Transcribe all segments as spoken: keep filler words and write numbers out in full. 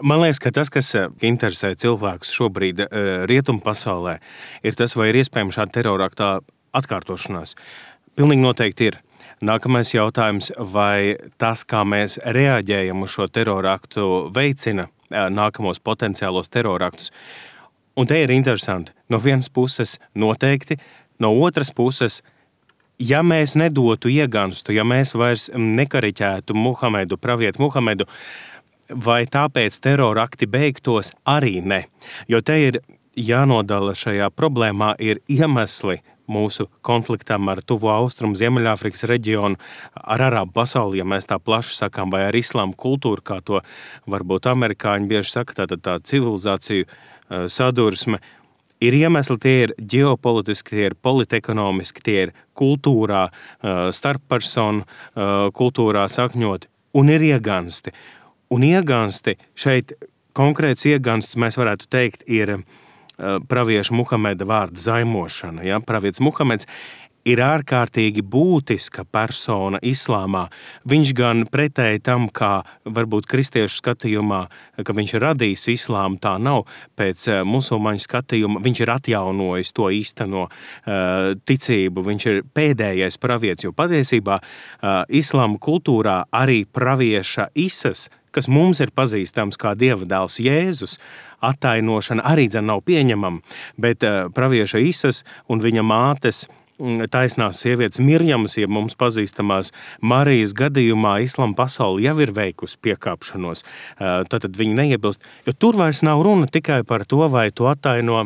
Man liekas, ka tas, kas interesē cilvēkus šobrīd rietumu pasaulē, ir tas, vai ir iespējams šāda terorāktā atkārtošanās. Pilnīgi noteikti ir. Nākamais jautājums, vai tas, kā mēs reaģējam uz šo teroraktu, veicina nākamos potenciālos teroraktus. Un te ir interesanti. No vienas puses noteikti, no otras puses, ja mēs nedotu ieganstu, ja mēs vairs nekariķētu Muhamedu, pravietu Muhamedu, vai tāpēc terorakti beigtos arī ne. Jo te ir jānodala šajā problēmā ir iemesli mūsu konfliktam ar Tuvo Austrumu, Ziemeļāfrikas reģionu, ar arābu pasauli, ja mēs tā plaši sakām, vai ar islāmu kultūru, kā to varbūt amerikāņi bieži saka, tātad tā civilizāciju sadursme. Ir iemesli, tie ir ģeopolitiski, tie ir politekonomiski, tie ir kultūrā, starppersonu kultūrā sakņoti, un ir iegansti. Un iegansti, šeit konkrēts iegansts, mēs varētu teikt, ir pravieša Muhameda vārda zaimošana. Ja? Pravietis Muhameds ir ārkārtīgi būtiska persona islāmā. Viņš gan pretēji tam, kā varbūt kristiešu skatījumā, ka viņš ir radījis islāmu, tā nav. Pēc musulmaņu skatījuma viņš ir atjaunojis to īsteno uh, ticību. Viņš ir pēdējais pravietis, jo patiesībā uh, islāma kultūrā arī pravieša Isas, kas mums ir pazīstams kā Dieva dēls Jēzus, attainošana arī dzen nav pieņemama, bet uh, pravieša Isas un viņa mātes taisnās sievietes Mirjamas, ja mums pazīstamās Marijas gadījumā islama pasauli jau ir veikusi piekāpšanos. Uh, tātad viņi neiebilst, jo tur vairs nav runa tikai par to, vai tu attaino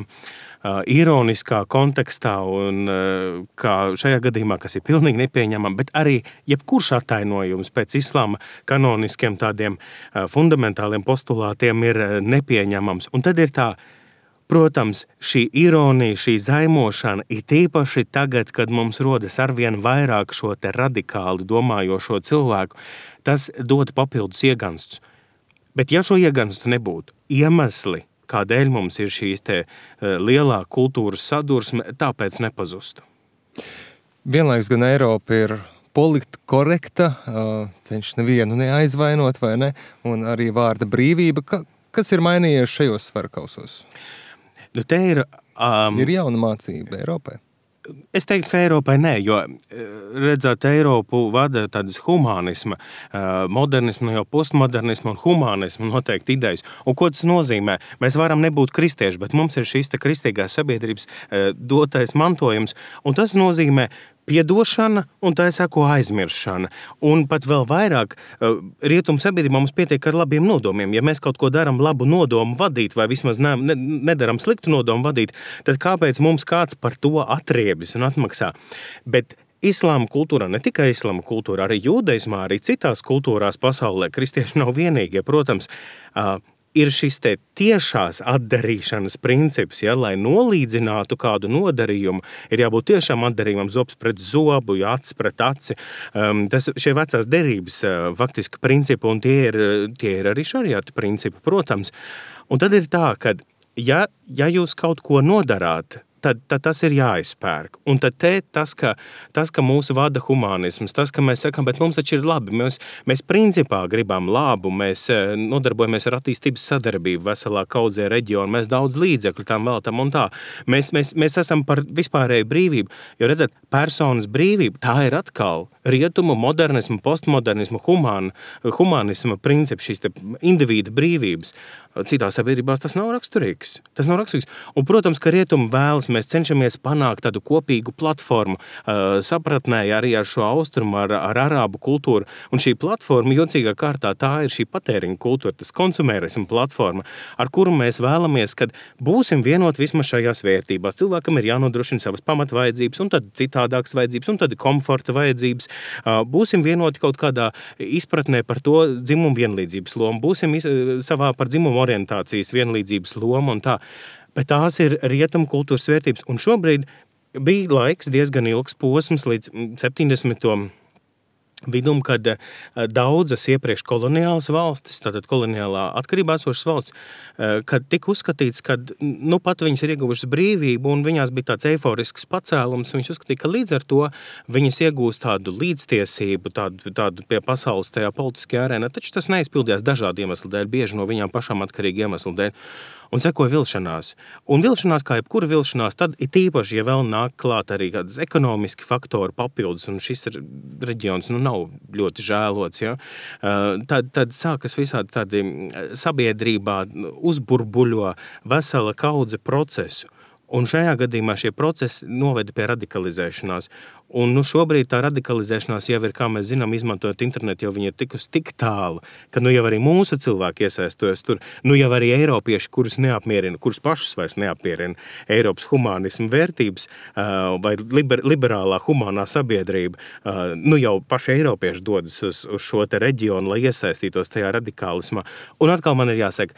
Uh, ironiskā kontekstā un uh, kā šajā gadījumā, kas ir pilnīgi nepieņemama, bet arī jebkurš attainojums pēc islāma kanoniskiem tādiem uh, fundamentāliem postulātiem ir uh, nepieņemams. Un tad ir tā, protams, šī ironija, šī zaimošana ir tīpaši tagad, kad mums rodas arvien vairāk šo te radikāli domājošo cilvēku, tas dod papildus ieganstus. Bet ja šo ieganstu nebūtu, iemesli, kādēļ mums ir šīs te lielā kultūras sadursme, tāpēc nepazustu. Vienlaiks gan Eiropa ir politkorekta, cenšas nevienu neaizvainot, vai ne, un arī vārda brīvība. Ka, kas ir mainījies šajos svarkausos? Nu, te ir... Um, ir jauna mācība Eiropai? Es teiktu, ka Eiropai nē, jo redzēt, Eiropu vada tādas humānisma, modernisma, jau postmodernisma un humānisma noteikti idejas. Un ko tas nozīmē? Mēs varam nebūt kristieši, bet mums ir šīs te kristīgās sabiedrības dotais mantojums, un tas nozīmē piedošana un tā sako aizmiršana. Un pat vēl vairāk rietumu sabiedrībā mums pietiek ar labiem nodomiem. Ja mēs kaut ko daram labu nodomu vadīt vai vismaz ne, ne, nedaram sliktu nodomu vadīt, tad kāpēc mums kāds par to atriebjas un atmaksā? Bet islāma kultūrā, ne tikai islāma kultūrā, arī jūdeismā, arī citās kultūrās pasaulē, kristieši nav vienīgie, protams, ir šis te tiešās atdarīšanas princips, ja, lai nolīdzinātu kādu nodarījumu, ir jābūt tiešām atdarījumam zobs pret zobu, ja, acis pret aci. Um, tas, šie vecās derības uh, faktiski principi, un tie ir, tie ir arī šariata principi, protams. Un tad ir tā, ka ja, ja jūs kaut ko nodarāt, Tad, tad tas ir jāizpērk. Un tad te tas, ka, tas, ka mūsu vada humānisms, tas, ka mēs sakam, bet mums taču ir labi, mēs, mēs principā gribam labu, mēs nodarbojamies ar attīstības sadarbību veselā kaudzē reģionu, mēs daudz līdzekļu tam veltam un tā. Mēs, mēs, mēs esam par vispārēju brīvību, jo redzat, personas brīvība, tā ir atkal rietumu, modernismu, postmodernismu, humān, humānisma principi, šīs te individa brīvības. Citās sabiedrībās tas nav raksturīgs. Tas nav raksturīgs. Un, protams, ka rietumu vēlas, mēs cenšamies panākt tādu kopīgu platformu, uh, sapratnē arī ar šo austrumu, ar, ar arābu kultūru. Un šī platforma, jocīgā kārtā, tā ir šī patēriņa kultūra, tas konsumērisma platforma, ar kuru mēs vēlamies, kad būsim vienot vismaz šajās vērtībās. Cilvēkam ir jānodrošina savas pamatvajadzības, un tad citādākas vajadzības, un tad komforta vajadzības. Uh, būsim vienoti kaut kādā izpratnē par to dzimumu vienlīdzības lomu. Būsim iz, savā par dzimumu orientācijas vienlīdzības loma un tā. Bet tās ir rietumu kultūras vērtības. Un šobrīd bija laiks diezgan ilgs posms līdz septiņdesmito vidum, kad daudzas iepriekš koloniālas valstis, tātad koloniālā atkarībā esošas valstis, kad tika uzskatīts, ka nu pat viņas ir ieguvušas brīvību un viņās bija tāds eiforisks pacēlums, viņas uzskatīja, ka līdz ar to viņas iegūst tādu līdztiesību, tādu, tādu pie pasaules tajā politiskajā arēnā, taču tas neizpildījās dažādu iemeslu dēļ, bieži no viņām pašām atkarīgi iemeslu dēļ. Un sekoja vilšanās. Un vilšanās, kā jebkura vilšanās, tad ir tīpaši, ja vēl nāk klāt arī kādas ekonomiski faktori papildus, un šis reģions nu, nav ļoti žēlots, ja? tad, tad sākas visādi tādi sabiedrībā uzburbuļo vesela kaudze procesu. Un šajā gadījumā šie procesi noveda pie radikalizēšanās. Un nu, šobrīd tā radikalizēšanās jau ir, kā mēs zinām, izmantojot internetu, jau viņi ir tikusi tik tālu, ka nu jau arī mūsu cilvēki iesaistojas tur, nu jau arī eiropieši, kurus neapmierina, kurus pašus vairs neapmierina Eiropas humānismu vērtības vai liber, liberālā humānā sabiedrība, nu jau paši eiropieši dodas uz, uz šo te reģionu, lai iesaistītos tajā radikālismā. Un atkal man ir jāsaka,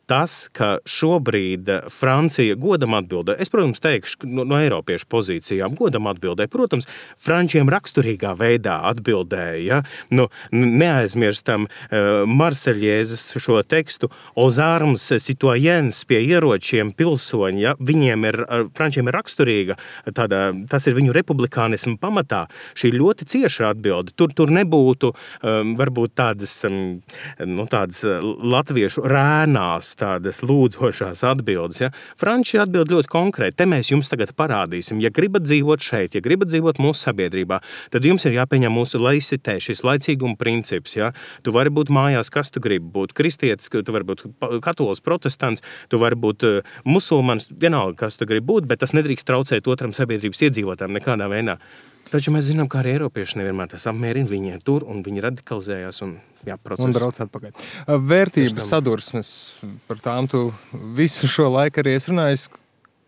tas, ka šobrīd Francija godam atbildē, es, protams, teikšu no, no eiropiešu pozīcijām, godam atbildē, protams, frančiem raksturīgā veidā atbildēja, ja? Nu, neaizmirstam uh, Marseļiezes šo tekstu, aux armes citoyennes, pie ieročiem pilsoņi, ja? Viņiem ir, frančiem ir raksturīga, tāda, tas ir viņu republikānismu pamatā, šī ļoti cieša atbilde, tur, tur nebūtu um, varbūt tādas, um, nu, tādas latviešu rēnās, tādas lūdzošās atbildes. Ja? Franči atbild ļoti konkrēti. Te mēs jums tagad parādīsim. Ja gribat dzīvot šeit, ja gribat dzīvot mūsu sabiedrībā, tad jums ir jāpieņem mūsu laicitē, šis laicīguma princips. Ja? Tu vari būt mājās, kas tu gribi būt. Kristietis, tu vari būt katolis, protestants, tu vari būt musulmanis, vienalga, kas tu gribi būt, bet tas nedrīkst traucēt otram sabiedrības iedzīvotājiem nekādā veidā. Taču mēs zinām, kā arī eiropieši nevienmēr tas apmierina, viņi ir tur un viņi radikalizējās un, jā, process. Un brauc atpakaļ. Vērtības sadursmes, par tām tu visu šo laiku arī esi runājis.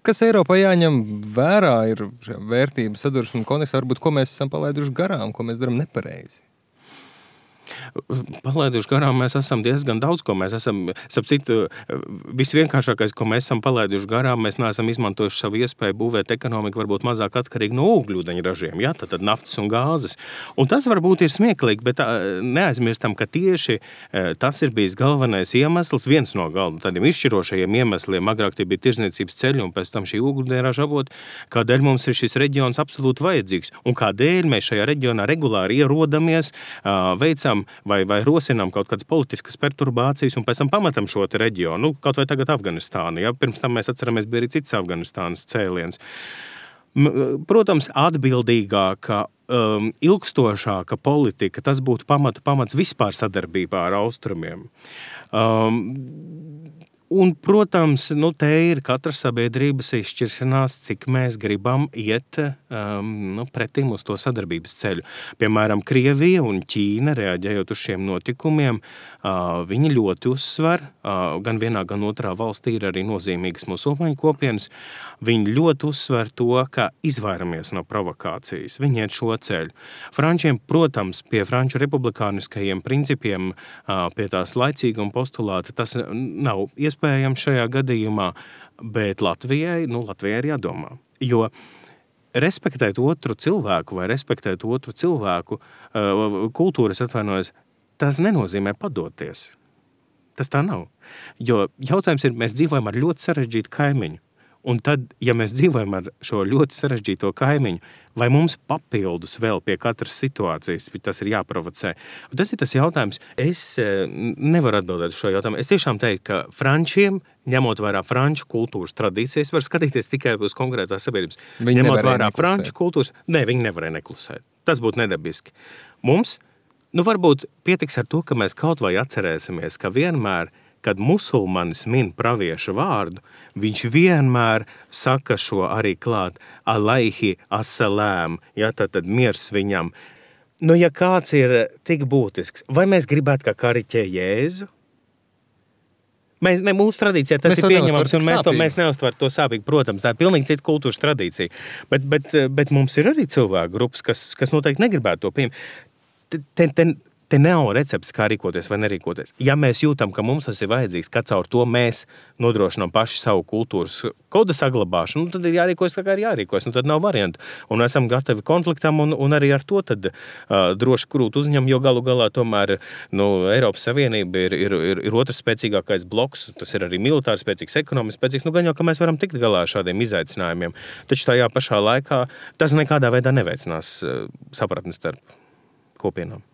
Kas Eiropā jāņem vērā ir vērtības sadursmes kontekstā, varbūt ko mēs esam palaiduši garām, ko mēs darām nepareizi? Palaiduši garām mēs esam diezgan daudz, ko mēs esam, sap citu, visvienkāršākais, ko mēs esam palaiduši garām, mēs neesam izmantojuši savu iespēju būvēt ekonomiku varbūt mazāk atkarīgi no ūgļūdeņa ražiem, ja, tad, tad naftas un gāzes. Un tas varbūt ir smieklīgi, bet neaizmirstam, ka tieši tas ir bijis galvenais iemesls, viens no galvenajiem tādiem izšķirošajiem iemesliem, agrāk tie bija tirzniecības ceļi un pēc tam šī ūgļūdeņa raža avoti, kādēļ mums ir šis reģions absolūti vajadzīgs un kādēļ mēs šajā reģionā regulāri ierodamies, veicam vai, vai rosinām kaut kādas politiskas perturbācijas un pēc tam pamatam šo te reģionu, nu, kaut vai tagad Afganistānu, ja? Pirms tam mēs atceramies, bija arī cits Afganistānas cēliens. Protams, atbildīgāka, um, ilgstošāka politika, tas būtu pamatu pamats vispār sadarbībā ar austrumiem. Um, Un, protams, nu, te ir katra sabiedrības izšķiršanās, cik mēs gribam iet um, nu, pretim uz to sadarbības ceļu. Piemēram, Krievija un Ķīna, reaģējot uz šiem notikumiem, uh, viņi ļoti uzsver, uh, gan vienā, gan otrā valstī ir arī nozīmīgas musulmaņu kopienas, viņi ļoti uzsver to, ka izvairamies no provokācijas, viņi iet šo ceļu. Frančiem, protams, pie franču republikāniskajiem principiem, uh, pie tās laicīguma postulāta, tas nav iespējams, iespējams šajā gadījumā, bet Latvijai, nu, Latvijai ir jādomā. Jo respektēt otru cilvēku vai respektēt otru cilvēku kultūras atvainojas, tas nenozīmē padoties. Tas tā nav. Jo jautājums ir, mēs dzīvojam ar ļoti sarežģītu kaimiņu. Un tad, ja mēs dzīvojam ar šo ļoti sarežģīto kaimiņu, vai mums papildus vēl pie katras situācijas, tas ir jāprovocē. Un tas ir tas jautājums. Es nevaru atbildēt šo jautājumu. Es tiešām teiktu, ka frančiem, ņemot vērā franču kultūras tradīcijas, var skatīties tikai uz konkrētās sabiedrības. Viņi ņemot nevarēja vērā neklusēt. franču kultūras, ne, viņi nevarēja neklusēt. Tas būtu nedabiski. Mums, nu varbūt pietiks ar to, ka mēs kaut vai atcerēsimies, ka vienmēr, kad musulmanis min pravieša vārdu, viņš vienmēr saka šo arī klāt, alaihi assalām, ja, tad, tad miers viņam. Nu, ja kāds ir tik būtisks, vai mēs gribētu kā kariķē Jēzu? Mēs, ne, mūsu tradīcijā tas Mēs ir to pieņemams, neuztveram un mēs, to, sāpīgi. mēs neuztveram to sāpīgi, protams, tā ir pilnīgi cita kultūras tradīcija. Bet, bet, bet mums ir arī cilvēku grupas, kas, kas noteikti negribētu to pieņemt. Te, te, te nav recepts, kā rīkoties vai nerīkoties. Ja mēs jūtam, ka mums tas ir vajadzīgs, ka caur to mēs nodrošinām paši savu kultūras koda saglabāšanu, nu, tad ir jārīkojas, kā ir jārīkojas, nu, tad nav variantu. Un esam gatavi konfliktam, un, un arī ar to tad uh, droši krūt uzņem, jo galu galā tomēr nu, Eiropas Savienība ir, ir, ir, ir otrs spēcīgākais bloks, tas ir arī militāri spēcīgs, ekonomiski spēcīgs, nu gan jau, ka mēs varam tikt galā ar šādiem izaicinājumiem. Taču tajā pašā laikā tas nekādā veidā neveicinās uh, sapratni starp kopienām.